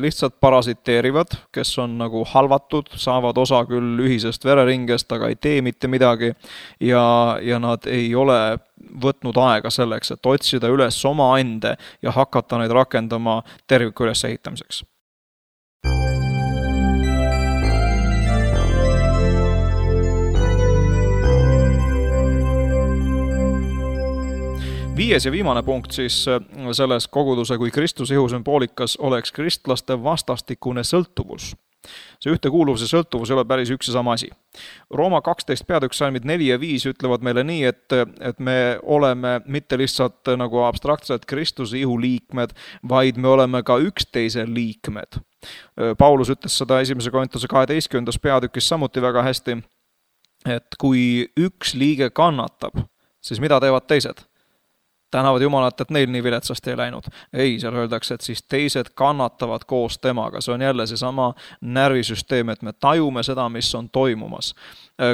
lihtsalt parasiteerivad, kes on nagu halvatud, saavad osa küll ühisest vereringest, aga ei tee mitte midagi ja nad ei ole võtnud aega selleks, et otsida üles oma ande ja hakata neid rakendama terviku ülesehitamiseks. 5. ja viimane punkt siis selles koguduse kui Kristuse ihu sümboolikas oleks kristlaste vastastikune sõltuvus. See ühtekuuluvus ja sõltuvus ei ole päris üks ja sama asi. Rooma 12 peatükk salmid 4 ja 5 ütlevad meile nii, et me oleme mitte lihtsalt nagu abstraktselt Kristuse ihu liikmed, vaid me oleme ka üksteise liikmed. Paulus ütles seda 1. Korintuse 12. peatükis samuti väga hästi, et kui üks liige kannatab, siis mida teevad teised? Tänavad Jumalat, et neil nii viletsasti ei läinud. Ei, seal öeldakse, et siis teised kannatavad koos temaga. See on jälle seesama närvisüsteem, et me tajume seda, mis on toimumas.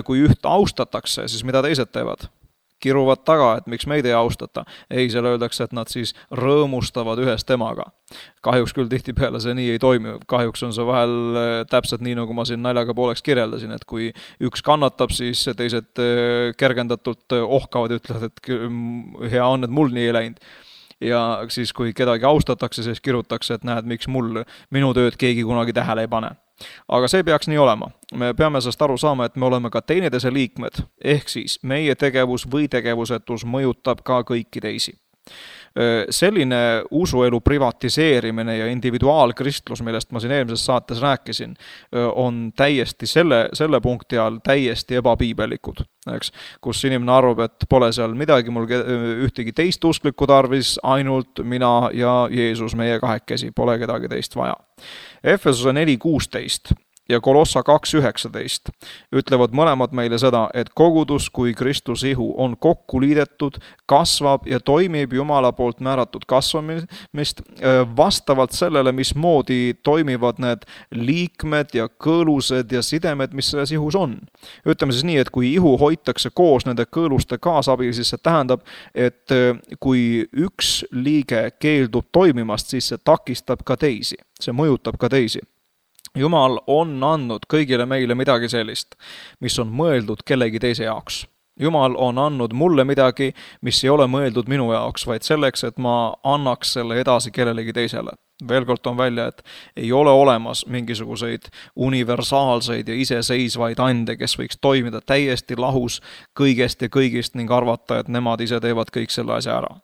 Kui üht austatakse, siis mida teised teevad? Kiruvad taga, et miks meid ei austata. Ei, seal öeldakse, et nad siis rõõmustavad ühes temaga. Kahjuks küll tihtipeale see nii ei toimi. Kahjuks on see vahel täpselt nii, nagu ma siin naljaga pooleks kirjeldasin, et kui üks kannatab, siis teised kergendatult ohkavad ja ütlevad, et hea on, et mul nii ei läinud. Ja siis, kui kedagi austatakse, siis kirutakse, et näed, miks minu tööd keegi kunagi tähele ei pane. Aga see peaks nii olema. Me peame sellest aru saama, et me oleme ka teineteise liikmed, ehk siis meie tegevus või tegevusetus mõjutab ka kõiki teisi. Selline usuelu privatiseerimine ja individuaalkristlus, millest ma siin eelmises saates rääkisin, on täiesti selle punkti all täiesti ebapiibelikud, eks? Kus inimene arvab, et pole seal midagi mul ühtegi teist usklikku tarvis, ainult mina ja Jeesus meie kahekesi, pole kedagi teist vaja. Efesuse 4.16 ja Kolossa 2.19 ütlevad mõlemad meile seda, et kogudus kui Kristuse ihu on kokku liidetud, kasvab ja toimib Jumala poolt määratud kasvamist vastavalt sellele, mismoodi toimivad need liikmed ja kõõlused ja sidemed, mis selles ihus on. Ütleme siis nii, et kui ihu hoitakse koos nende kõõluste kaasabil, siis see tähendab, et kui üks liige keeldub toimimast, siis see takistab ka teisi, see mõjutab ka teisi. Jumal on andnud kõigile meile midagi sellist, mis on mõeldud kellegi teise jaoks. Jumal on andnud mulle midagi, mis ei ole mõeldud minu jaoks, vaid selleks, et ma annaks selle edasi kellelegi teisele. Veel kord on välja, et ei ole olemas mingisuguseid universaalseid ja iseseisvaid ande, kes võiks toimida täiesti lahus kõigest ja kõigist ning arvata, et nemad ise teevad kõik selle asja ära.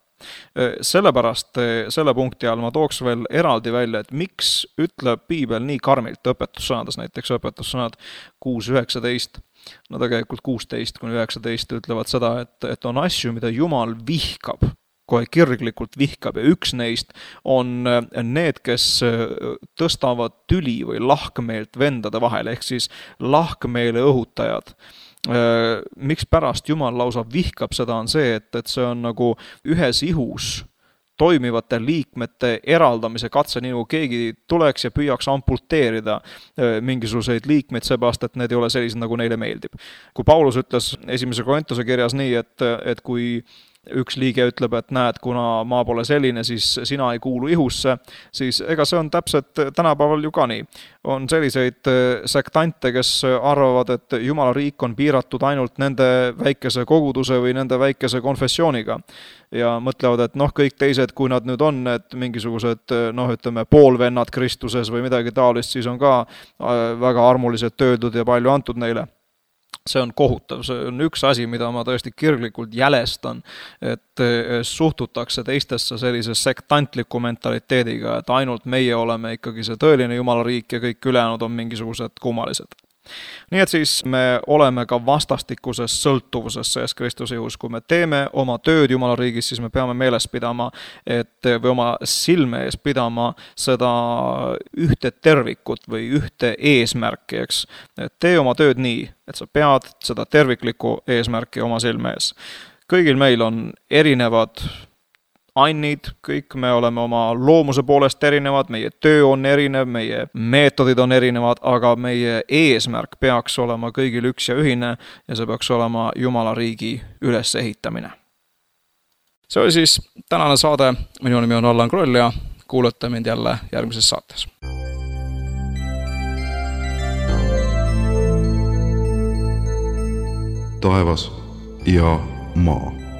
Sellepärast selle punkti all ma tooks veel eraldi välja, et miks ütleb Piibel nii karmilt õpetussõnades, näiteks õpetussõnad 6.19, no tegelikult 16-19 ütlevad seda, et on asju, mida Jumal vihkab, kohe kirglikult vihkab ja üks neist on need, kes tõstavad tüli või lahkmeelt vendade vahel, ehk siis lahkmeele õhutajad. Miks pärast Jumal lausa vihkab seda on see, et see on nagu ühes ihus toimivate liikmete eraldamise katse, nii nagu keegi tuleks ja püüaks amputeerida mingisuguseid liikmeid seepärast, et need ei ole sellised, nagu neile meeldib. Kui Paulus ütles 1. Korintuse kirjas nii, et kui üks liige ütleb, et näed, kuna ma pole selline, siis sina ei kuulu ihusse, siis ega see on täpselt tänapäeval ju ka nii. On selliseid sektante, kes arvavad, et Jumala riik on piiratud ainult nende väikese koguduse või nende väikese konfessiooniga. Ja mõtlevad, et kõik teised, kui nad nüüd on, et mingisugused, ütleme, poolvennad Kristuses või midagi taolist, siis on ka väga armulised tööldud ja palju antud neile. See on kohutav, see on üks asi, mida ma tõesti kirglikult jälestan, et suhtutakse teistesse sellise sektantliku mentaliteediga, et ainult meie oleme ikkagi see tõeline Jumala riik ja kõik ülejäänud on mingisugused kummalised. Nii et siis me oleme ka vastastikuses sõltuvuses selles Kristuse ihus. Kui me teeme oma tööd Jumala riigis, siis me peame meeles pidama, või oma silme ees pidama seda ühte tervikut või ühte eesmärki, eks. Tee oma tööd nii, et sa pead seda terviklikku eesmärki oma silme ees. Kõigil meil on erinevad annid, kõik me oleme oma loomuse poolest erinevad, meie töö on erinev, meie meetodid on erinevad, aga meie eesmärk peaks olema kõigil üks ja ühine ja see peaks olema Jumala riigi ülesehitamine. See oli siis tänane saade, minu nimi on Allan Kroll ja kuulete mind jälle järgmises saates. Taevas ja maa.